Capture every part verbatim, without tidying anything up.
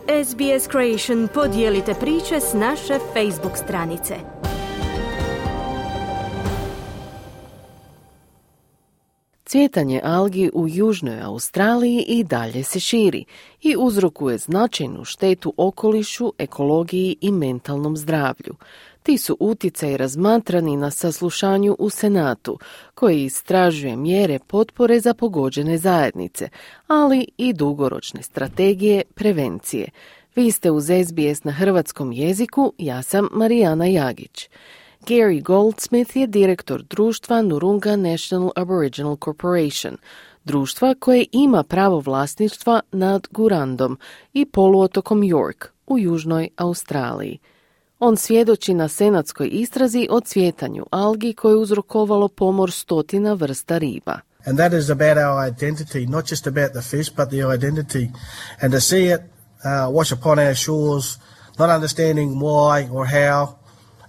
S B S Creation podijelite priče s naše Facebook stranice. Cvjetanje algi u Južnoj Australiji i dalje se širi i uzrokuje značajnu štetu okolišu, ekologiji i mentalnom zdravlju. Ti su utjecaji razmatrani na saslušanju u Senatu, koji istražuje mjere potpore za pogođene zajednice, ali i dugoročne strategije prevencije. Vi ste uz S B S na hrvatskom jeziku, ja sam Marijana Jagić. Gary Goldsmith je direktor društva Noongar National Aboriginal Corporation, društva koje ima pravo vlasništva nad Gurandom i poluotokom York u Južnoj Australiji. On svjedoči na senatskoj istrazi o cvjetanju algi koje je uzrokovalo pomor stotina vrsta riba. And that is about our identity, not just about the fish, but the identity. And to see it uh, wash upon our shores, not understanding why or how,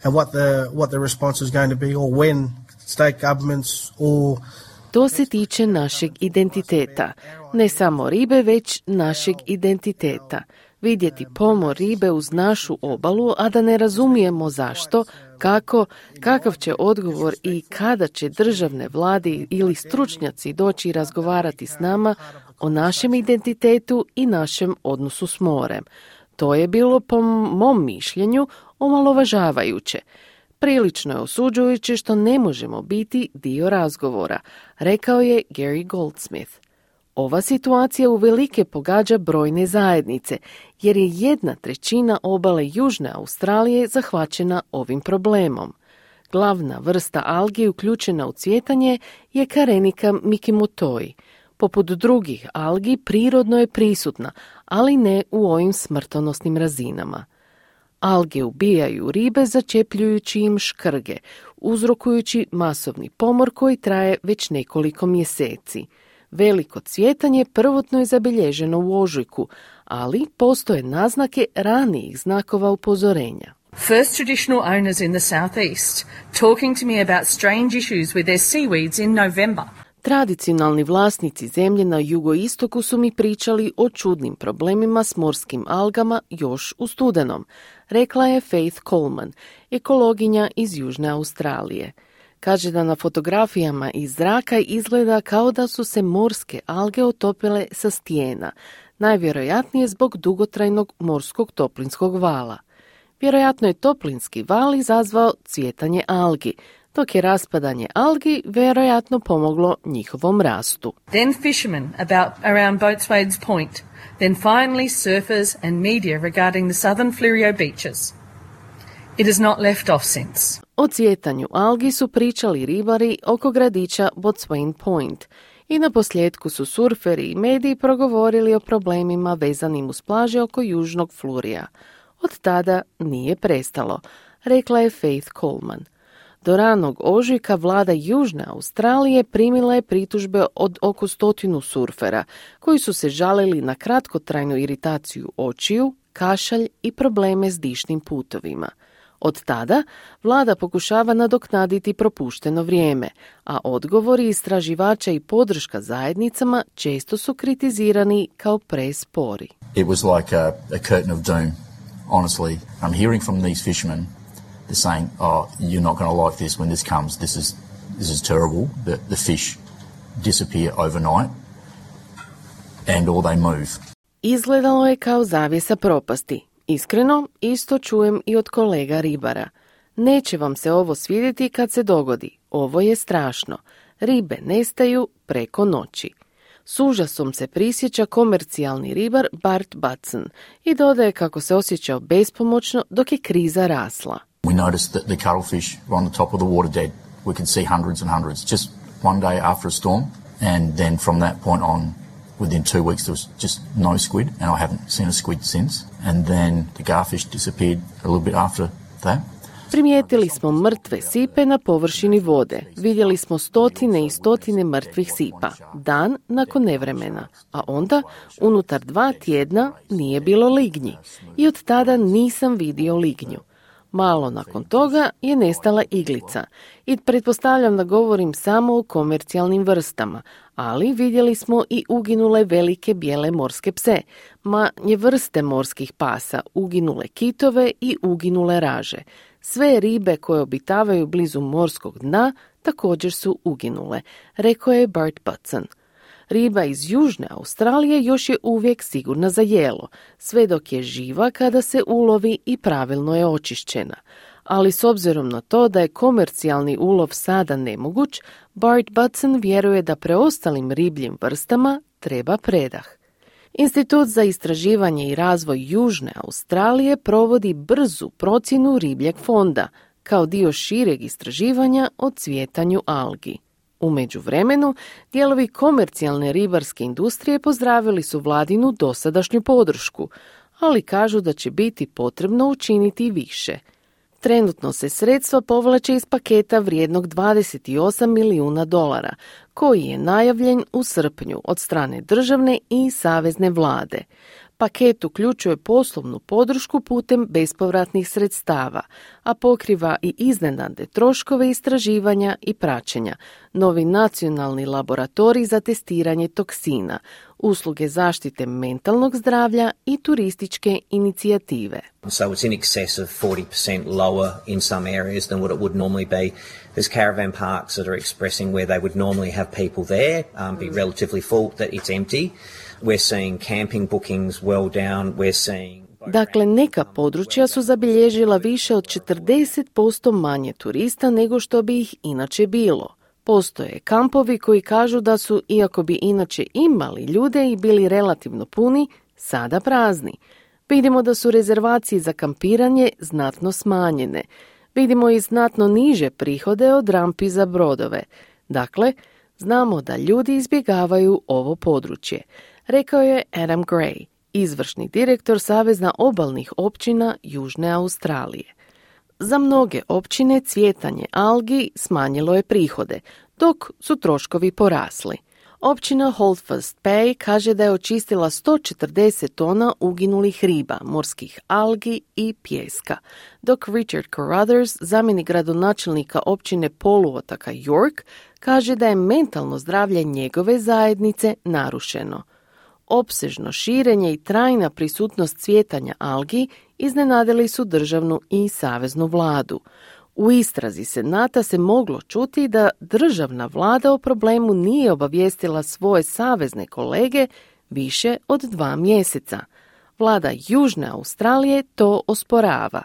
and what the what the response is going to be, or when state governments or... To se tiče našeg identiteta. Ne samo ribe, već našeg identiteta. Vidjeti pomor ribe uz našu obalu, a da ne razumijemo zašto, kako, kakav će odgovor i kada će državne vlade ili stručnjaci doći razgovarati s nama o našem identitetu i našem odnosu s morem. To je bilo, po mom mišljenju, omalovažavajuće. Prilično je osuđujuće što ne možemo biti dio razgovora, rekao je Gary Goldsmith. Ova situacija uvelike pogađa brojne zajednice, jer je jedna trećina obale Južne Australije zahvaćena ovim problemom. Glavna vrsta algi uključena u cvjetanje je Carenica mikimotoi. Poput drugih algi prirodno je prisutna, ali ne u ovim smrtonosnim razinama. Alge ubijaju ribe začepljujući im škrge, uzrokujući masovni pomor koji traje već nekoliko mjeseci. Veliko cvjetanje prvotno je zabilježeno u ožujku, ali postoje naznake ranijih znakova upozorenja. First traditional owners in the southeast talking to me about strange issues with their seaweeds in November. Tradicionalni vlasnici zemlje na jugoistoku su mi pričali o čudnim problemima s morskim algama još u studenom, rekla je Faith Coleman, ekologinja iz Južne Australije. Kaže da na fotografijama iz zraka izgleda kao da su se morske alge otopile sa stijena, najvjerojatnije zbog dugotrajnog morskog toplinskog vala. Vjerojatno je toplinski val izazvao cvjetanje algi, dok je raspadanje algi vjerojatno pomoglo njihovom rastu. Then fishermen about around Boatswain's Point, then finally surfers and media regarding the southern Fleurieu beaches. It has not left off since. O cvjetanju algi su pričali ribari oko gradića Boatswain Point i na posljedku su surferi i mediji progovorili o problemima vezanim uz plaže oko južnog Flurija. Od tada nije prestalo, rekla je Faith Coleman. Do ranog ožujka vlada Južne Australije primila je pritužbe od oko stotinu surfera, koji su se žalili na kratkotrajnu iritaciju očiju, kašalj i probleme s dišnim putovima. Od tada vlada pokušava nadoknaditi propušteno vrijeme, a odgovori istraživača i podrška zajednicama često su kritizirani kao prespori. It was like a, a curtain of doom, honestly. I'm hearing from these fishermen. They're saying, oh, you're not going to like this when this comes. This is this is terrible. The, the fish disappear overnight and or they move. Izgledalo je kao zavjesa propasti. Iskreno, isto čujem i od kolega ribara. Neće vam se ovo svidjeti kad se dogodi. Ovo je strašno. Ribe nestaju preko noći. S užasom se prisjeća komercijalni ribar Bart Batson i dodaje kako se osjećao bespomoćno dok je kriza rasla. We noticed that the cuttlefish were on the top of the water dead. We could see hundreds and hundreds just one day after a storm, and then from that point on, within two weeks there was just no squid, and I haven't seen a squid since. And then the garfish disappeared a little bit after that. Primijetili smo mrtve sipe na površini vode. Vidjeli smo stotine i stotine mrtvih sipa, dan nakon nevremena. A onda, unutar dva tjedna, nije bilo lignji. I od tada nisam vidio lignju. Malo nakon toga je nestala iglica i pretpostavljam da govorim samo o komercijalnim vrstama, ali vidjeli smo i uginule velike bijele morske pse, manje vrste morskih pasa, uginule kitove i uginule raže. Sve ribe koje obitavaju blizu morskog dna također su uginule, rekao je Bart Butson. Riba iz Južne Australije još je uvijek sigurna za jelo, sve dok je živa kada se ulovi i pravilno je očišćena. Ali s obzirom na to da je komercijalni ulov sada nemoguć, Bart Butson vjeruje da preostalim ribljim vrstama treba predah. Institut za istraživanje i razvoj Južne Australije provodi brzu procjenu ribljeg fonda, kao dio šireg istraživanja o cvjetanju algi. U međuvremenu, dijelovi komercijalne ribarske industrije pozdravili su vladinu dosadašnju podršku, ali kažu da će biti potrebno učiniti više. Trenutno se sredstva povlače iz paketa vrijednog dvadeset osam milijuna dolara, koji je najavljen u srpnju od strane državne i savezne vlade. Paket uključuje poslovnu podršku putem bespovratnih sredstava, a pokriva i iznenadne troškove istraživanja i praćenja, novi nacionalni laboratorij za testiranje toksina, usluge zaštite mentalnog zdravlja i turističke inicijative. So it's in excess of forty percent lower in some areas than what it would normally be. There's caravan parks that are expressing where they would normally have people there, um, be relatively full, that it's empty. We're seeing camping bookings well down. We're seeing... Dakle, neka područja su zabilježila više od četrdeset posto manje turista nego što bi ih inače bilo. Postoje kampovi koji kažu da su, iako bi inače imali ljude i bili relativno puni, sada prazni. Vidimo da su rezervacije za kampiranje znatno smanjene. Vidimo i znatno niže prihode od rampi za brodove. Dakle, znamo da ljudi izbjegavaju ovo područje, rekao je Adam Gray, izvršni direktor Saveza obalnih općina Južne Australije. Za mnoge općine cvjetanje algi smanjilo je prihode, dok su troškovi porasli. Općina Holdfast Bay kaže da je očistila sto četrdeset tona uginulih riba, morskih algi i pijeska, dok Richard Carruthers, zamjenik gradonačelnika općine poluotoka York, kaže da je mentalno zdravlje njegove zajednice narušeno. Opsežno širenje i trajna prisutnost cvjetanja algi iznenadili su državnu i saveznu vladu. U istrazi Senata se moglo čuti da državna vlada o problemu nije obavijestila svoje savezne kolege više od dva mjeseca. Vlada Južne Australije to osporava,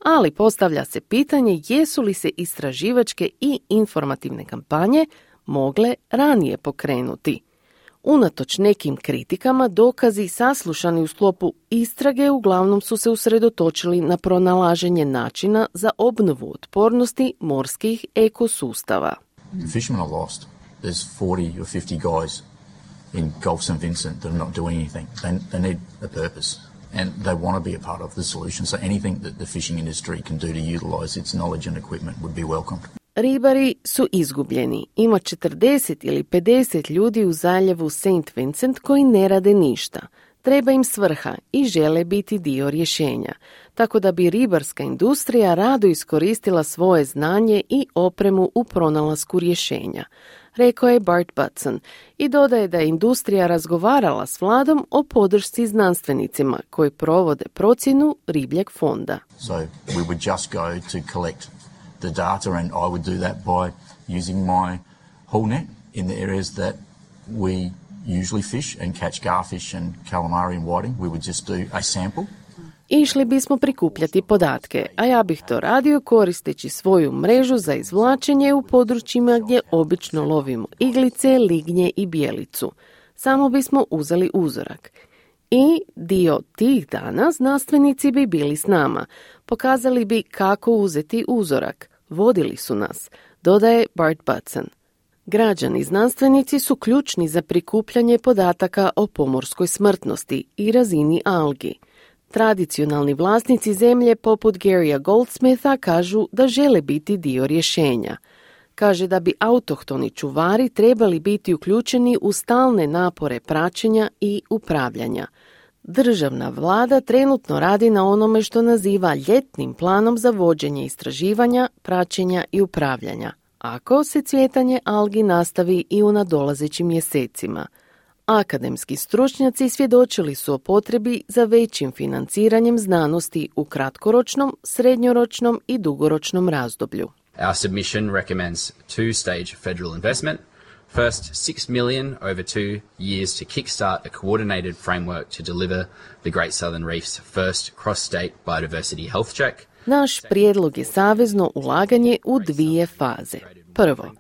ali postavlja se pitanje jesu li se istraživačke i informativne kampanje mogle ranije pokrenuti. Unatoč nekim kritikama, dokazi saslušani u sklopu istrage uglavnom su se usredotočili na pronalaženje načina za obnovu otpornosti morskih ekosustava. The fishermen are lost. There's forty or fifty guys in Gulf Saint Vincent that are not doing anything. They, they need a purpose and they want to be a part of the solution. So anything that the fishing industry can do to utilize its knowledge and equipment would be welcomed. Ribari su izgubljeni. Ima četrdeset ili pedeset ljudi u zaljevu Saint Vincent koji ne rade ništa. Treba im svrha i žele biti dio rješenja. Tako da bi ribarska industrija rado iskoristila svoje znanje i opremu u pronalasku rješenja, rekao je Bart Butson i dodaje da je industrija razgovarala s vladom o podršci znanstvenicima koji provode procjenu ribljeg fonda. So we would just go to collect the data and I would do that by using my haul net in the areas that we usually fish and catch garfish and calamari and whiting. We would just do a sample. Išli bismo prikupljati podatke, a ja bih to radio koristeći svoju mrežu za izvlačenje u područjima gdje obično lovimo iglice, lignje i bijelicu. Samo bismo uzeli uzorak. I dio tih dana znanstvenici bi bili s nama. Pokazali bi kako uzeti uzorak. Vodili su nas, dodaje Bart Butson. Građani znanstvenici su ključni za prikupljanje podataka o pomorskoj smrtnosti i razini algi. Tradicionalni vlasnici zemlje poput Garya Goldsmitha kažu da žele biti dio rješenja. Kaže da bi autohtoni čuvari trebali biti uključeni u stalne napore praćenja i upravljanja. Državna vlada trenutno radi na onome što naziva ljetnim planom za vođenje istraživanja, praćenja i upravljanja, ako se cvjetanje algi nastavi i u nadolazećim mjesecima. Akademski stručnjaci svjedočili su o potrebi za većim financiranjem znanosti u kratkoročnom, srednjoročnom i dugoročnom razdoblju. Our submission recommends two-stage federal investment. First, six million dollars over two years to kickstart a coordinated framework to deliver the Great Southern Reef's first cross-state biodiversity health check. Naš prijedlog je savezno ulaganje u dvije faze. Prvo,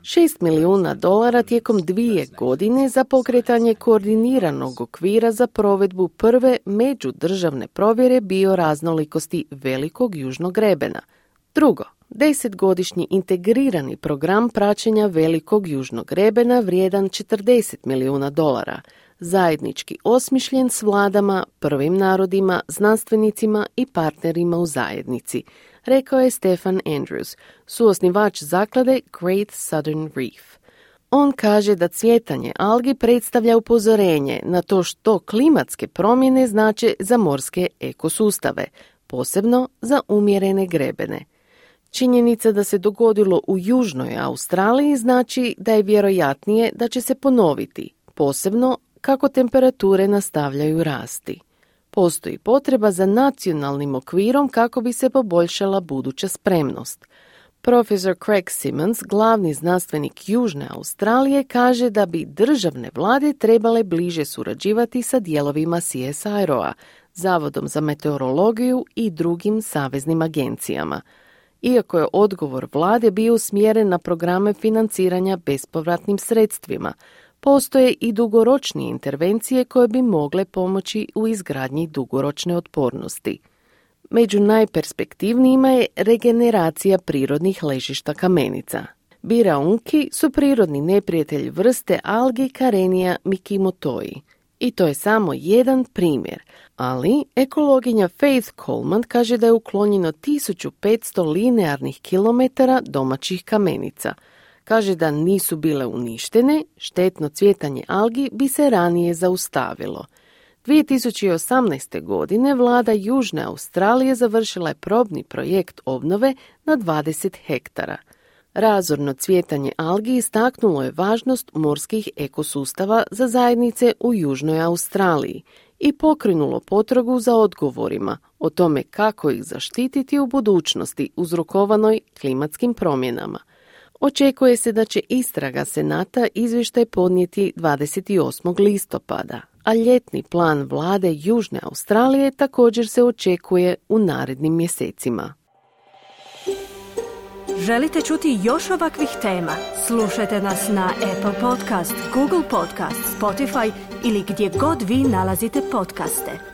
šest milijuna dolara tijekom dvije godine za pokretanje koordiniranog okvira za provedbu prve međudržavne provjere bioraznolikosti velikog južnog grebena. Drugo, desetgodišnji integrirani program praćenja velikog južnog grebena vrijedan četrdeset milijuna dolara, zajednički osmišljen s vladama, prvim narodima, znanstvenicima i partnerima u zajednici, rekao je Stefan Andrews, suosnivač zaklade Great Southern Reef. On kaže da cvjetanje algi predstavlja upozorenje na to što klimatske promjene znače za morske ekosustave, posebno za umjerene grebene. Činjenica da se dogodilo u Južnoj Australiji znači da je vjerojatnije da će se ponoviti, posebno kako temperature nastavljaju rasti. Postoji potreba za nacionalnim okvirom kako bi se poboljšala buduća spremnost. Profesor Craig Simmons, glavni znanstvenik Južne Australije, kaže da bi državne vlade trebale bliže surađivati sa dijelovima C S I R O-a, Zavodom za meteorologiju i drugim saveznim agencijama. Iako je odgovor vlade bio usmjeren na programe financiranja bespovratnim sredstvima, postoje i dugoročnije intervencije koje bi mogle pomoći u izgradnji dugoročne otpornosti. Među najperspektivnijima je regeneracija prirodnih ležišta kamenica. Biraunki su prirodni neprijatelj vrste algi Karenia mikimotoi. I to je samo jedan primjer, ali ekologinja Faith Coleman kaže da je uklonjeno tisuću petsto linearnih kilometara domaćih kamenica. Kaže da nisu bile uništene, štetno cvjetanje algi bi se ranije zaustavilo. dvije tisuće osamnaeste. godine vlada Južne Australije završila je probni projekt obnove na dvadeset hektara. Razorno cvjetanje algi istaknulo je važnost morskih ekosustava za zajednice u Južnoj Australiji i pokrenulo potragu za odgovorima o tome kako ih zaštititi u budućnosti uzrokovanoj klimatskim promjenama. Očekuje se da će istraga Senata izvještaj podnijeti dvadeset osmog listopada, a ljetni plan vlade Južne Australije također se očekuje u narednim mjesecima. Želite čuti još ovakvih tema? Slušajte nas na Apple Podcast, Google Podcast, Spotify ili gdje god vi nalazite podcaste.